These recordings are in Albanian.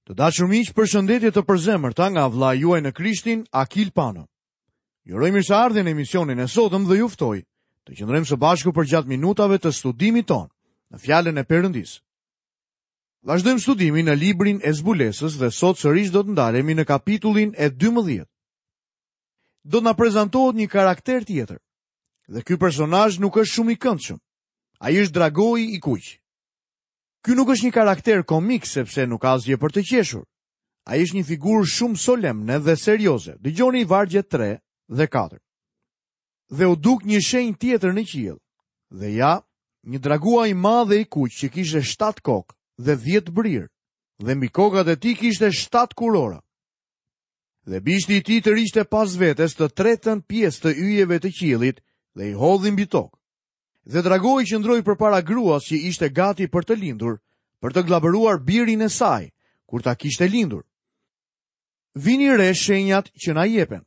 Të dashur miq, përshëndetje të përzemërta nga vëllai juaj në Krishtin, Akil Pano. Ju uroj mirëseardhjen në emisionin e sotëm dhe ju ftoj të qëndrojmë së bashku përgjatë minutave të studimit tonë në Fjalën e Perëndisë. Vazhdojmë studimin në librin e Zbulesës dhe sot sërish do të ndalemi në kapitullin e 12. Do të na prezantohet një karakter tjetër. Dhe ky personazh nuk është shumë i këndshëm. Ai është dragoi i kuq. Ky nuk është një karakter komik sepse nuk ka asgjë për të qeshur. Ai është një figurë shumë solemne dhe serioze. Dëgjoni vargjet 3 dhe 4. Dhe u duk një shenjë tjetër në qiell. Dhe ja, një dragua i madh dhe i kuq që kishte 7 kokë dhe 10 brirë, dhe mbi kokat e tij kishte 7 kurora. Dhe bishti i tij tërhiqte pas vetes të tretën pjesë të yjeve të qiellit dhe i hodhi mbi tokë. Dhe dragoi qëndroi përpara gruas që ishte gati për të lindur, për të gllabëruar birin e saj, kur ta kishte lindur. Vini re shenjat që na jepen.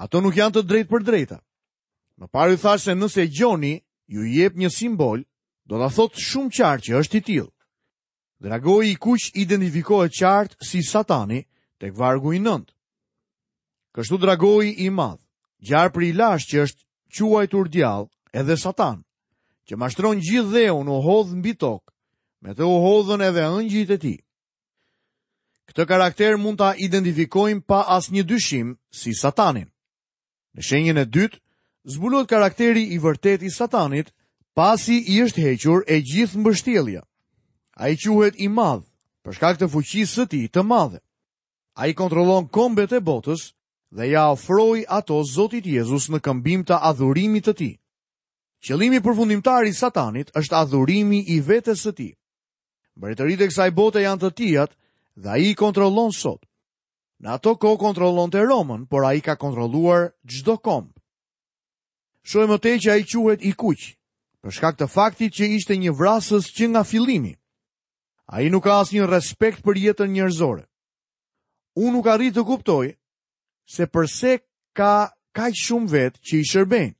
Ato nuk janë të drejtpërdrejta. Më parë ju thashë se nëse Gjoni ju jep një simbol, do ta thotë shumë qartë që është i tillë. Dragoi i kuq identifikohet qartë si Satani tek vargu i 9. Kështu dragoi i madh, gjarpri i lashtë që është quajtur djall edhe Satan, që mashtron gjithë dheun u hodh mbi tokë, me të u hodhën edhe engjëjt e tij. Këtë karakter mund ta identifikojmë pa asnjë dyshim si Satanin. Në shenjën e dytë, zbulohet karakteri i vërtetë i Satanit, pasi i është hequr e gjithë mbështjellja. Ai quhet i madh, për shkak të fuqisë së tij të madhe. Ai kontrollon kombet e botës dhe ia ofroi ato Zotit Jezus në këmbim të adhurimit të tij. Qëllimi përfundimtar i Satanit është adhurimi i vetes së tij. Mbretëritë e kësaj bote janë të tijat dhe ai i kontrollon sot. Në ato kohë kontrollonte Romën, por ai ka kontrolluar çdo komb. Shohim më tej që ai quhet i kuq, për shkak të faktit që ishte një vrasës që nga fillimi. Ai nuk ka asnjë respekt për jetën njerëzore. Unë nuk arrij të kuptoj se përse ka kaq shumë vetë që i shërbejnë.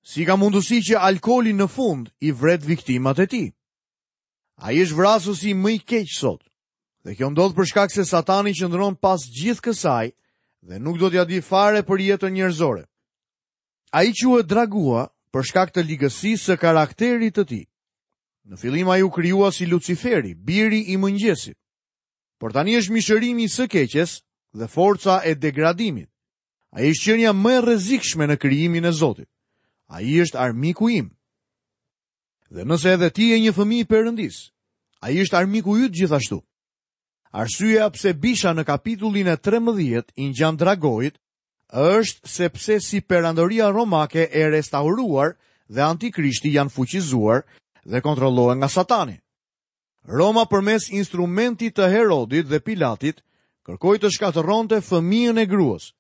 Si ka mundësi që alkooli në fund i vret viktimat e tij? Ai është vrasësi më i keq sot. Dhe kjo ndodh për shkak se Satani qëndron pas gjithë kësaj dhe nuk do t'ia dijë fare për jetën njerëzore. Ai quhet Dragua për shkak të ligësisë së karakterit të tij. Në fillim ai u krijua si Luciferi, biri i mëngjesit. Por tani është mishërimi i së keqes dhe forca e degradimit. Ai është qenia më e rrezikshme në krijimin e Zotit. Ai është armiku im. Dhe nëse edhe ti je një fëmijë i Perëndisë, ai është armiku yt gjithashtu. Arsyeja pse bisha në kapitullin e 13 i ngjan dragoit është sepse si perandoria romake e restauruar dhe antikrishti janë fuqizuar dhe kontrollohen nga Satani. Roma përmes instrumentit të Herodit dhe Pilatit kërkoi të shkatërronte fëmijën e gruas.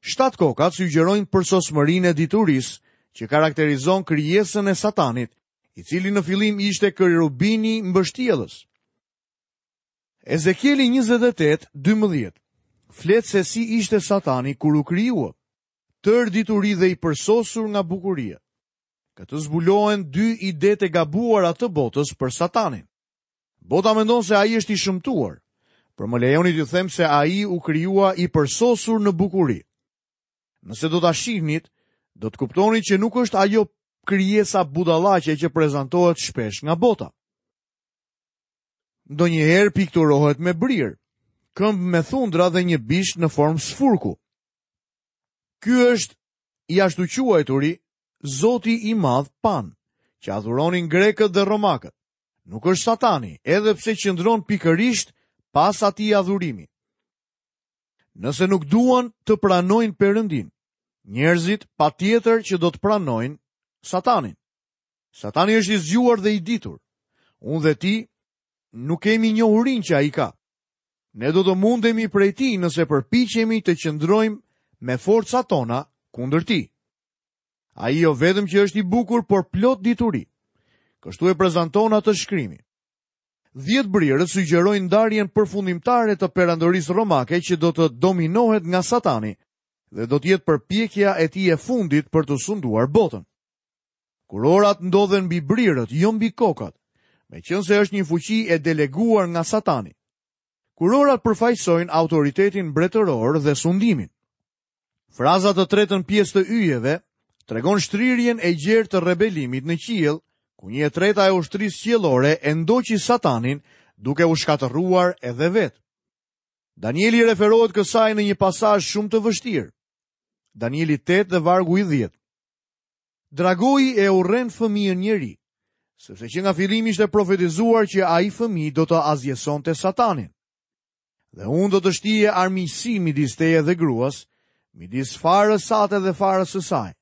Shtatë kokat sugjerojnë përsosmërinë e diturisë që karakterizon krijesën e Satanit, i cili në fillim ishte kerubini mbështjellës. Ezekieli 28:12 flet se si ishte Satani kur u krijua, tërë dituri dhe i përsosur nga bukuria. Këtu zbulohen dy idetë e gabuara të botës për Satanin. Bota mendon se ai është i shëmtuar, por më lejoni t'ju them se ai u krijua i përsosur në bukuri. Nëse do ta shihnit, do të kuptonit që nuk është ajo krijesa budallaqe që prezantohet shpesh nga bota. Ndonjëherë pikturohet me brirë, këmbë me thundra dhe një bisht në formë sfurku. Ky është i ashtuquajturi Zoti i Madh Pan, që adhuronin grekët dhe romakët. Nuk është Satani, edhe pse qëndron pikërisht pas atij adhurimi. Nëse nuk duan të pranojnë Perëndinë, njerëzit patjetër që do të pranojnë Satanin. Satani është i zgjuar dhe i ditur. Unë dhe ti nuk kemi njohurinë që ai ka. Ne do të mundemi prej tij nëse përpiqemi të qëndrojmë me forcat tona kundër tij. Ai jo vetëm që është i bukur, por plot dituri. Kështu e prezanton atë shkrimi. 10 brirët sugjerojnë ndarjen përfundimtare të perandorisë romake që do të dominohet nga Satani dhe do të jetë përpjekja e tij e fundit për të sunduar botën. Kurorat ndodhen mbi brirët, jo mbi kokat, meqenëse është një fuqi e deleguar nga Satani. Kurorat përfaqësojnë autoritetin mbretëror dhe sundimin. Fraza të tretën pjesë të yjeve tregon shtrirjen e gjerë të rebelimit në qiell, ku një e treta e ushtrisë qiellore e ndoqi Satanin duke u shkatërruar edhe vetë. Danieli i referohet kësaj në një pasazh shumë të vështirë. Danieli 8 dhe vargu i 10. Dragoi e urren fëmijën njeri, sepse që nga fillimi ishte profetizuar që ai fëmijë do të asgjësonte Satanin. Dhe unë do të shtij armiqësi midis teje dhe gruas, midis farës sate dhe farës së saj.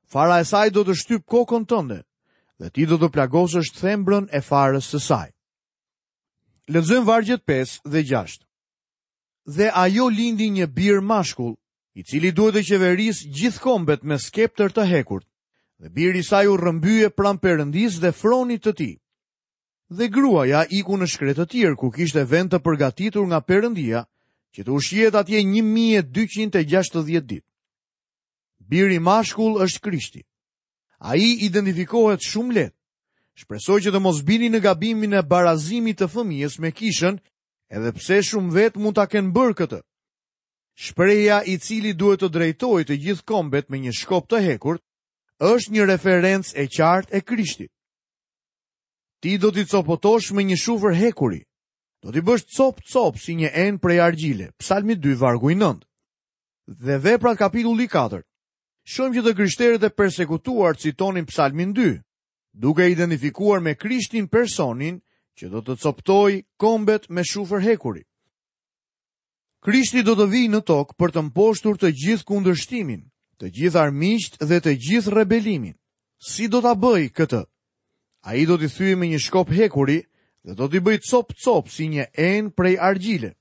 Fara e saj do të shtypë kokën tënde dhe ti do të plagosësh thembrën e farës së saj. Lexojmë vargjet 5 dhe 6. Dhe ajo lindi një bir mashkull, i cili duhet të qeverisë gjithë kombet me skeptër të hekurt. Dhe biri i saj u rrëmbye pranë Perëndisë dhe fronit të tij. Dhe gruaja iku në shkretëtirë, ku kishte vend të përgatitur nga Perëndia, që të ushqehet atje 1260 ditë. Biri mashkull është Krishti. Ai identifikohet shumë lehtë. Shpresoj që të mos bini në gabimin e barazimit të fëmijës me kishën, edhe pse shumë vetë mund ta kenë bërë këtë. Shprehja i cili duhet të drejtojë të gjithë kombet me një shkop të hekurt, është një referencë e qartë e Krishtit. Ti do t'i copëtosh me një shufër hekuri. Do t'i bësh copë-copë si një enë prej argjile. Psalmi 2, vargu i 9. Dhe veprat kapitulli 4. Shohim që të krishterët e persekutuar citonin Psalmin 2, duke identifikuar me Krishtin personin që do të copëtojë kombet me shufër hekuri. Krishti do të vijë në tokë për të mposhtur të gjithë kundërshtimin, të gjithë armiqtë dhe të gjithë rebelimin. Si do ta bëjë këtë? Ai do t'i thyejë me një shkop hekuri dhe do t'i bëjë copë-copë si një enë prej argjile.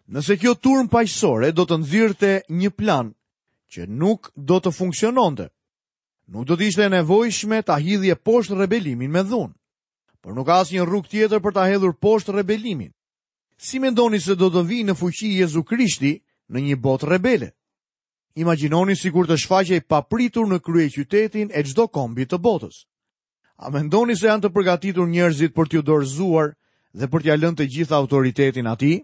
Nëse kjo turmë paqësore do të nxirrte një plan që nuk do të funksiononte, nuk do të ishte e nevojshme ta hidhje poshtë rebelimin me dhunë. Por nuk ka asnjë rrugë tjetër për ta hedhur poshtë rebelimin. Si mendoni se do të vijë në fuqi Jezu Krishti në një botë rebele? Imagjinoni sikur të shfaqej papritur në kryeqytetin e çdo kombi të botës. A mendoni se janë të përgatitur njerëzit për t'iu dorëzuar dhe për t'ia lënë të gjithë autoritetin atij?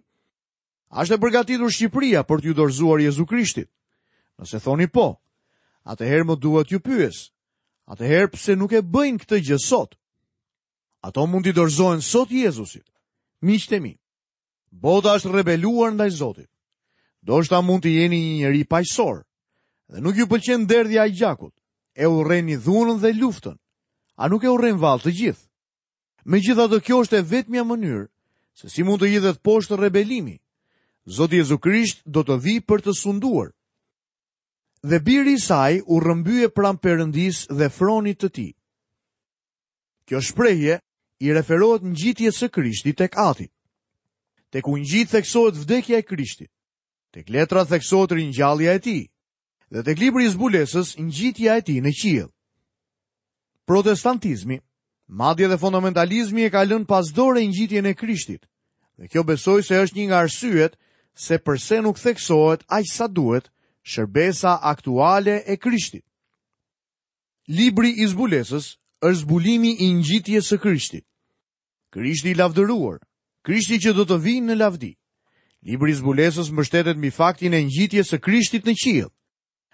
A është e përgatitur Shqipëria për t'iu dorëzuar Jezu Krishtit? Nëse thoni po, atëherë më duhet t'ju pyes. Atëherë pse nuk e bëjnë këtë gjë sot? Ato mund t'i dorëzohen sot Jezusit. Miqtë e mi, bota është rebeluar ndaj Zotit. Ndoshta mund të jeni një njeri paqësor dhe nuk ju pëlqen derdhja e gjakut. E urreni dhunën dhe luftën. A nuk e urrejnë vallë të gjithë? Megjithatë kjo është e vetmja mënyrë se si mund të hidhet poshtë rebelimi. Zoti Jezu Krisht do të vijë për të sunduar. Dhe biri i saj u rrëmbye pranë Perëndisë dhe fronit të tij. Kjo shprehje i referohet ngjitjes së Krishtit tek Ati. Tek ungjijtë theksohet vdekja e Krishtit. Tek letrat theksohet ringjallja e tij. Dhe tek libri i zbulesës ngjitja e tij në qiell. Protestantizmi, madje dhe fundamentalizmi e ka lënë pas dore ngjitjen e Krishtit. Dhe kjo besoj se është një nga arsyet se përse nuk theksohet aq sa duhet shërbesa aktuale e Krishtit. Libri i zbulesës është zbulimi i ngjitjes së Krishtit. Krishti i lavdëruar, Krishti që do të vijë në lavdi. Libri i zbulesës mbështetet mbi faktin e ngjitjes së Krishtit në qiell.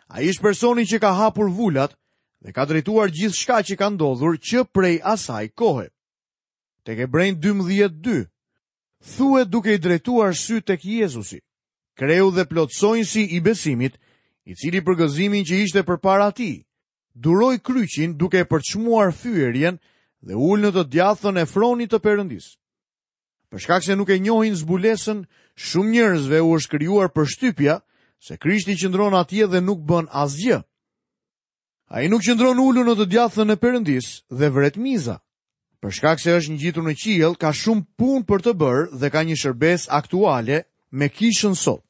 Ai është personi që ka hapur vulat dhe ka drejtuar gjithçka që ka ndodhur që prej asaj kohe. Tek Hebrenjtë 12:2 thuhet duke i drejtuar sytë tek Jezusi, kreu dhe plotësonjësi i besimit, i cili për gëzimin që ishte përpara tij, duroi kryqin duke e përçmuar fyerjen dhe u ul në të djathtën e fronit të Perëndisë. Për shkak se nuk e njohin zbulesën, shumë njerëzve u është krijuar përshtypja se Krishti qëndron atje dhe nuk bën asgjë. Ai nuk qëndron ulur në të djathtën e Perëndisë dhe vret miza. Për shkak se është ngjitur në qiell, ka shumë punë për të bërë dhe ka një shërbesë aktuale me kishën sot.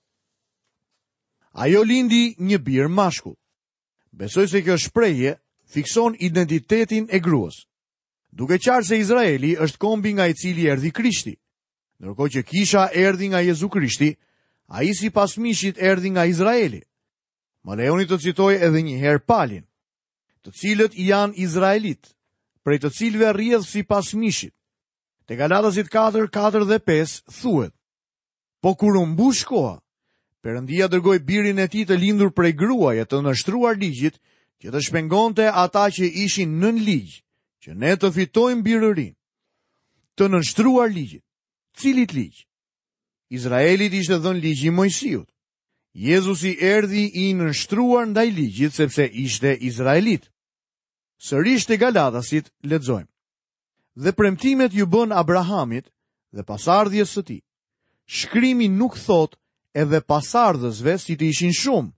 Ajo lindi një bir mashkull. Besoj se kjo shprehje fikson identitetin e gruas. Duket qartë se Izraeli është kombi nga i cili erdhi Krishti. Ndërkohë që kisha erdhi nga Jezu Krishti, ai sipas mishit erdhi nga Izraeli. Më lejoni të citoj edhe një herë Palin, të cilët janë izraelitë, prej të cilëve rrjedh sipas mishit. Te Galatasit 4, 4 dhe 5 thuhet. Po kur u mbush koha, Perëndia dërgoi birin e tij të lindur prej gruaje të nënshtruar ligjit, që të shpengonte ata që ishin nën ligj, që ne të fitojmë birërinë. Të nënshtruar ligjit. Cilit ligj? Izraelit i ishte dhënë ligji i Moisiut. Jezusi erdhi i nënshtruar ndaj ligjit sepse ishte izraelit. Sërish te Galatasit lexojmë. Dhe premtimet iu bënë Abrahamit dhe pasardhjes së tij. Shkrimi nuk thotë edhe pasardhësve si të ishin shumë,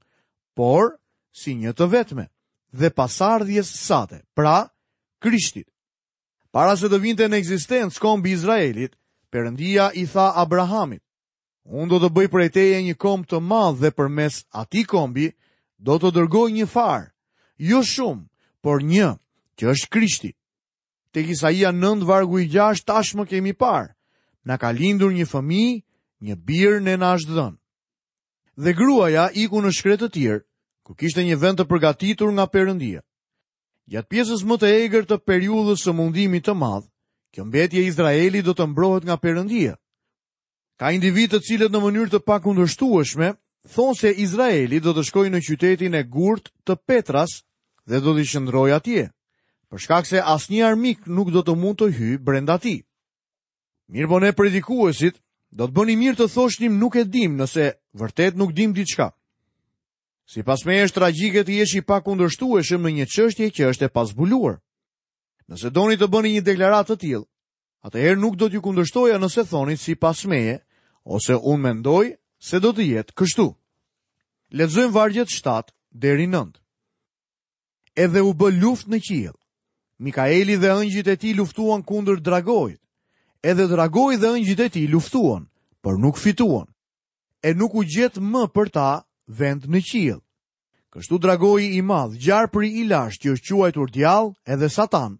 por si një të vetme dhe pasardhjes sate, pra Krishtit. Para se të vinte në ekzistencë kombi i Izraelit, Perëndia i tha Abrahamit, Unë do të bëj prej teje një komb të madh dhe përmes atij kombi do të dërgoj një farë, jo shumë, por një, që është Krishti. Tek Isaia 9 vargu i 6 tashmë kemi parë, na ka lindur një fëmijë, një bir ne na është dhënë. Dhe gruaja iku në shkretëtirë, ku kishte një vend të përgatitur nga Perëndia. Gjatë pjesës më të egër të periudhës së mundimit të madh, kjo mbetje e Izraelit do të mbrohet nga Perëndia. Ka individë të cilët në mënyrë të pakundërshtueshme thonë se Izraeli do të shkojë në qytetin e gurtë të Petras dhe do të qëndrojë atje, për shkak se asnjë armik nuk do të mund të hyjë brenda tij. Mirëpo ne predikuesit do të bënim mirë të thoshnim nuk e dimë nëse vërtet nuk dimë diçka. Sipas meje është tragjike të jesh i pakundërshtueshëm në një çështje që është e pazbuluar. Nëse doni të bëni një deklaratë të tillë, atëherë nuk do t'ju kundërshtoja nëse thoni sipas meje, ose unë mendoj se do të jetë kështu. Lexojmë vargjet 7 deri 9. Edhe u bë luftë në qiell. Mikaeli dhe ëngjëjt e tij luftuan kundër dragoit. Edhe dragoi dhe ëngjëjt e tij luftuan, por nuk fituan. E nuk u gjet më për ta vend në qiell. Kështu dragoi i madh, gjarpri i lashtë që është quajtur djall edhe Satan,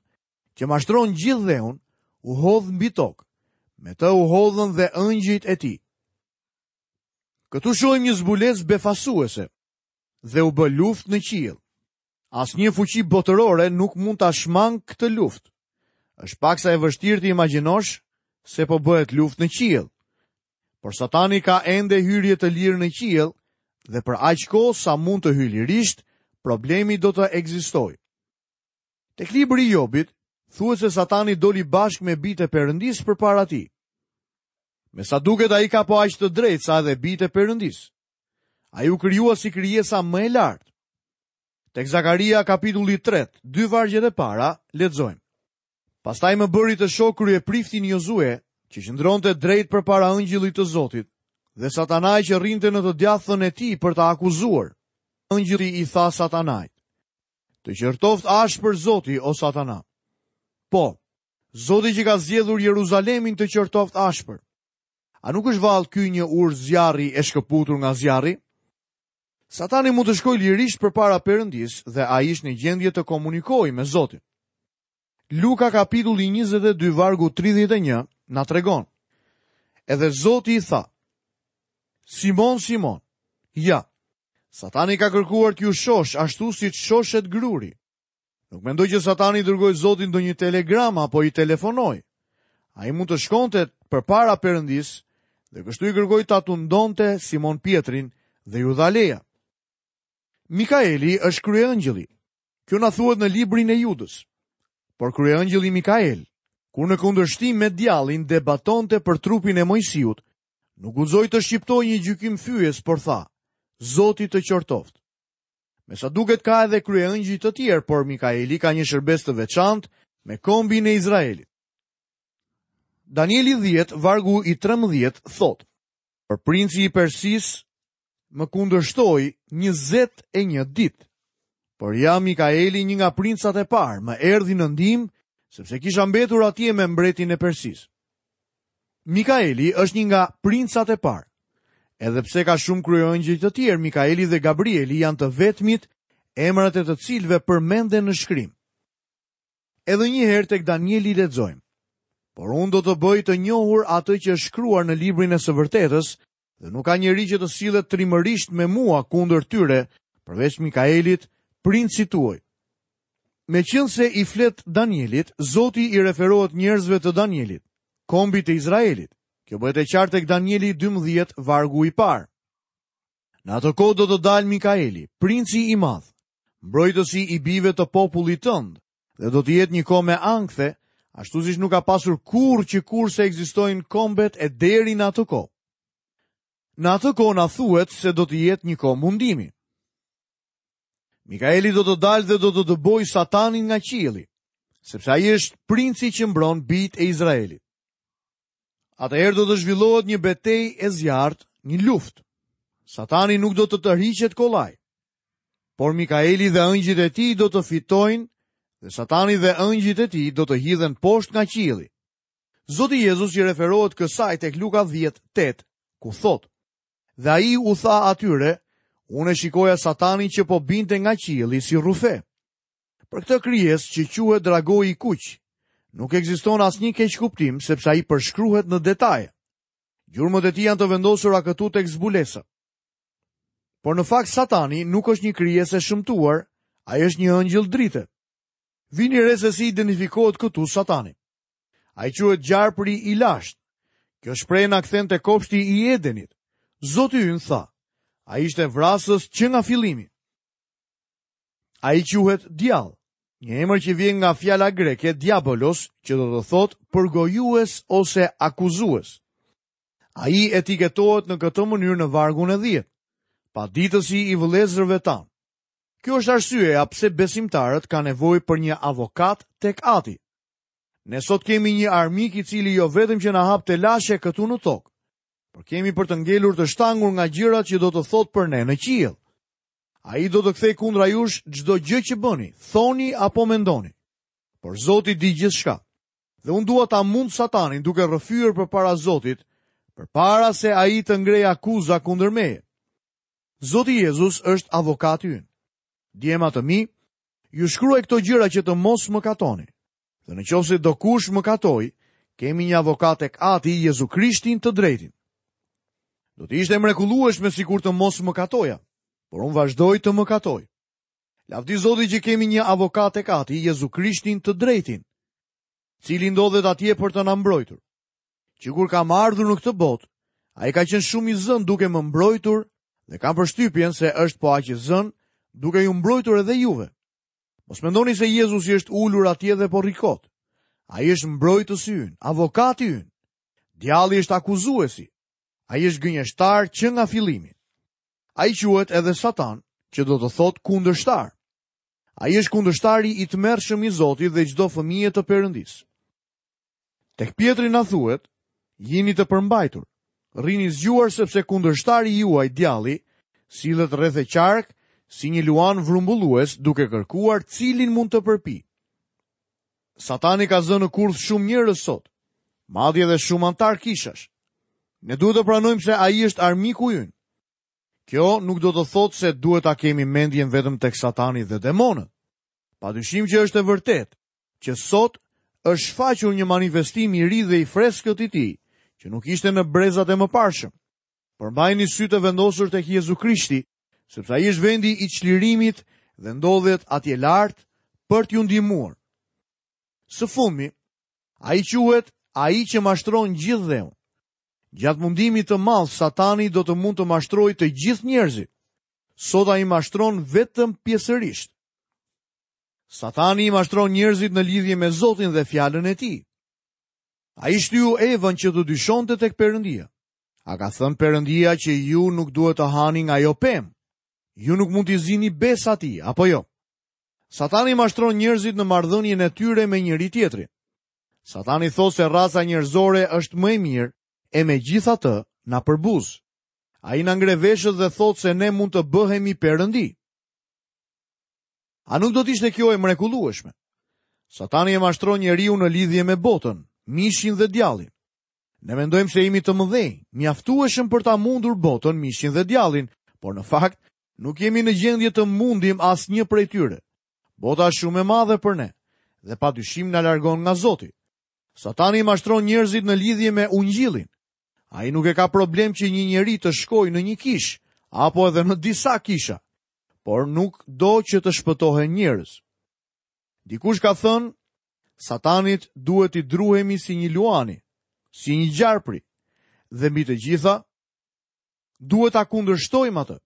që mashtron gjithë dheun, u hodh mbi tokë. Me të u hodhën dhe ëngjëjt e tij. Këtu shohim një zbulesë befasuese dhe u bë luftë në qiell. Asnjë fuqi botërore nuk mund ta shmangë këtë luftë. Është paksa e vështirë të imagjinosh se po bëhet luftë në qiell. Por Satani ka ende hyrje të lirë në qiell dhe për aq kohë sa mund të hyjë lirisht, problemi do të ekzistojë. Tek libri i Jobit, thuhet se Satani doli bashkë me bijtë e Perëndisë përpara tij. Me sa duket ai ka po aq të drejtë sa edhe bijtë e Perëndisë. Ai u krijua si krijesa më e lartë. Tek Zakaria kapitulli 3, dy vargjet e para, lexojmë. Pastaj më bëri të shoh kryepriftin Jozue, që qëndronte drejt përpara ëngjëllit të Zotit, dhe Satanai që rrinte në të djathtën e tij për ta akuzuar. Ëngjëlli i tha Satanait: Të qortoftë ashpër Zoti, o Satana. Po, Zoti që ka zgjedhur Jeruzalemin të qortoftë ashpër. A nuk është vallë ky një urë zjarri e shkëputur nga zjarri? Satani mund të shkojë lirisht përpara Perëndisë dhe ai është në gjendje të komunikojë me Zotin. Luka kapitulli 22 vargu 31 na tregon. Edhe Zoti i tha: Simon, Simon, ja, Satani ka kërkuar t'ju shoshë ashtu siç shoshet gruri. Nuk mendoj që Satani i dërgoi Zotit ndonjë telegram apo i telefonoi. Ai mund të shkonte përpara Perëndisë dhe kështu i kërkoi ta tundonte Simon Pjetrin dhe iu dha leja. Mikaeli është kryeëngjëlli. Kjo na thuhet në librin e Judës. Por kryeëngjëlli Mikael, kur në kundërshtim me djallin debatonte për trupin e Moisiut, Nuk guxoi të shqiptojë një gjykim fyes, por tha, Zoti të qortoftë. Me sa duket ka edhe kryeëngjëj të tjerë, por Mikaeli ka një shërbesë të veçantë me kombin e Izraelit. Danieli 10, vargu i 13, thotë, Por princi i Persisë më kundërshtoi 21 ditë. Por ja Mikaeli një nga princat e parë, më erdhi në ndihmë, sepse kisha mbetur atje me mbretin e Persisë. Mikaeli është një nga princat e parë. Edhe pse ka shumë kryeëngjëj të tjerë, Mikaeli dhe Gabrieli janë të vetmit emrat e të cilëve përmenden në shkrim. Edhe një herë tek Danieli lexojmë. Por unë do të bëj të njohur atë që është shkruar në librin e së vërtetës dhe nuk ka njeri që të sillet trimërisht me mua kundër tyre, përveç Mikaelit, princit tuaj. Meqenëse i flet Danielit, Zoti i referohet njerëzve të Danielit, kombit të Izraelit. Kjo bëhet e qartë tek Danieli 12, vargu i parë. Në atë kohë do të dalë Mikaeli, princi i madh, mbrojtësi i bijve të popullit tënd, dhe do të jetë një kohë me ankthe, ashtu siç nuk ka pasur kurrë që kurse ekzistojnë kombet e deri në atë kohë. Në atë kohë na thuhet se do të jetë një kohë mundimi. Mikaeli do të dalë dhe do të dëbojë Satanin nga qielli, sepse ai është princi që mbron bijtë e Izraelit. Atëherë do të zhvillohet një betejë e zjarrtë, një luftë. Satani nuk do të tërhiqet kollaj. Por Mikaeli dhe ëngjëjt e tij do të fitojnë dhe Satani dhe ëngjëjt e tij do të hidhen poshtë nga qielli. Zoti Jezus i referohet kësaj tek Luka 10:8, ku thotë: Dhe ai u tha atyre, unë e shikoja Satanin që po binte nga qielli si rrufe. Për këtë krijesë që quhet dragoi i kuq, nuk ekziston asnjë keqkuptim sepse ai përshkruhet në detaje. Gjurmët e tij janë të vendosura këtu tek zbulesa. Por në fakt Satani nuk është një krijesë e shëmtuar, ai është një ëngjëll drite. Vini re se si identifikohet këtu Satani. Ai quhet gjarpri i lashtë. Kjo shprehje na kthen te kopshti i Edenit. Zoti ynë tha, ai ishte vrasës që nga fillimi. Ai quhet djall, një emër që vjen nga fjala greke diabolos, që do të thotë përgojues ose akuzues. Ai etiketohet në këtë mënyrë në vargun e 10, paditësi i vëllezërve tanë. Kjo është arsyeja pse besimtarët kanë nevojë për një avokat tek Ati. Ne sot kemi një armik i cili jo vetëm që na hap telashe këtu në tokë, por kemi për të ngelur të shtangur nga gjërat që do të thotë për ne në qiell. Ai do të kthejë kundra jush çdo gjë që bëni, thoni apo mendoni. Por Zoti di gjithçka. Dhe unë dua ta mund Satanin duke rrëfyer përpara Zotit, përpara se ai të ngrejë akuza kundër meje. Zoti Jezus është avokati ynë. Djema të mi, ju shkruaj këto gjëra që të mos mëkatoni. Dhe në qoftë se dokush mëkatoi, kemi një avokat tek Ati, Jezu Krishtin të drejtin. Do të ishte e mrekullueshme sikur të mos mëkatoja, por unë vazhdoj të mëkatoj. Lavdi Zotit që kemi një avokat tek Ati, Jezu Krishtin të drejtin, i cili ndodhet atje për të na mbrojtur. Që kur kam ardhur në këtë botë, ai ka qenë shumë i zënë duke më mbrojtur dhe kam përshtypjen se është po aq i zënë duke ju mbrojtur edhe juve. Mos mendoni se Jezusi është ulur atje dhe po rri kot. Ai është mbrojtësi ynë, avokati ynë. Djalli është akuzuesi. Ai është gënjeshtar që nga fillimi. Ai quhet edhe Satan, që do të thotë kundërshtar. Ai është kundërshtari i tmerrshëm i Zotit dhe çdo fëmije të Perëndisë. Tek Pjetri na thuhet, jini të përmbajtur, rrini zgjuar sepse kundërshtari juaj djalli sillet rreth e qark si një luan vrumbullues duke kërkuar cilin mund të përpijë. Satani ka zënë në kurth shumë njerëz sot, madje edhe shumë anëtarë kishash. Ne duhet të pranojmë se ai është armiku ynë. Kjo nuk do të thotë se duhet ta kemi mendjen vetëm tek Satani dhe demonët. Padyshim që është e vërtetë që sot është shfaqur një manifestim i ri dhe i freskët i tij, që nuk ishte në brezat e mëparshëm. Por mbajini sytë e vendosur tek Jezu Krishti, sepse ai është vendi i çlirimit dhe ndodhet atje lart për t'ju ndihmuar. Së fundmi, ai quhet ai që mashtron gjithë dheun. Gjatë mundimit të madh, Satani do të mund të mashtrojë të gjithë njerëzit. Sot ai mashtron vetëm pjesërisht. Satani i mashtron njerëzit në lidhje me Zotin dhe fjalën e tij. Ai shtyu Evën që të dyshonte tek Perëndia. A ka thënë Perëndia që ju nuk duhet të hani nga ajo pemë? Ju nuk mund t'i zini besë atij, apo jo? Satani mashtron njerëzit në marrëdhënien e tyre me njëri-tjetrin. Satani thotë se raca njerëzore është më e mirë e megjithatë na përbuz. Ai na ngre veshët dhe thotë se ne mund të bëhemi perëndi. A nuk do të ishte kjo e mrekullueshme? Satani e mashtron njeriun në lidhje me botën, mishin dhe djallin. Ne mendojmë se jemi të mëdhenj, mjaftueshëm për ta mundur botën, mishin dhe djallin, por në fakt nuk jemi në gjendje të mundim asnjë prej tyre. Bota është shumë e madhe për ne dhe pa dyshim na largon nga Zoti. Satani mashtron njerëzit në lidhje me ungjillin. Ai nuk e ka problem që një njeri të shkojë në një kishë apo edhe në disa kisha. por nuk do që të shpëtohen njerëz. Dikush ka thënë, Satanit duhet t'i druhemi si një luani, si një gjarpri. Dhe mbi të gjitha, duhet ta kundërshtojmë atë.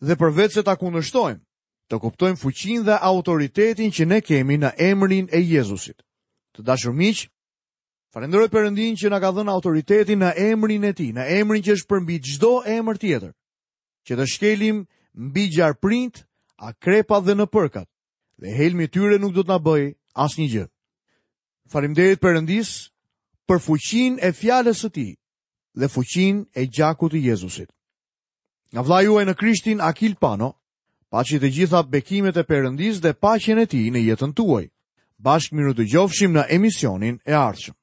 Dhe përveçse ta kundërshtojmë, të kuptojmë fuqinë dhe autoritetin që ne kemi në emrin e Jezusit. Të dashur miq, falënderoj Perëndinë që na ka dhënë autoritetin në emrin e Tij, në emrin që është përmbi çdo emër tjetër, që të shkelim mbi gjarprinjtë, akrepat dhe nëpërkat, dhe helmi i tyre nuk do të na bëjë asnjë gjë. Faleminderit Perëndisë për fuqinë e fjalës së Tij dhe fuqinë e gjakut të Jezusit. Nga vëllai juaj në Krishtin Akil Pano, paçi të gjitha bekimet e Perëndisë dhe paqen e Tij në jetën tuaj. Bashkë mirudëgjofshim në emisionin e ardhshëm.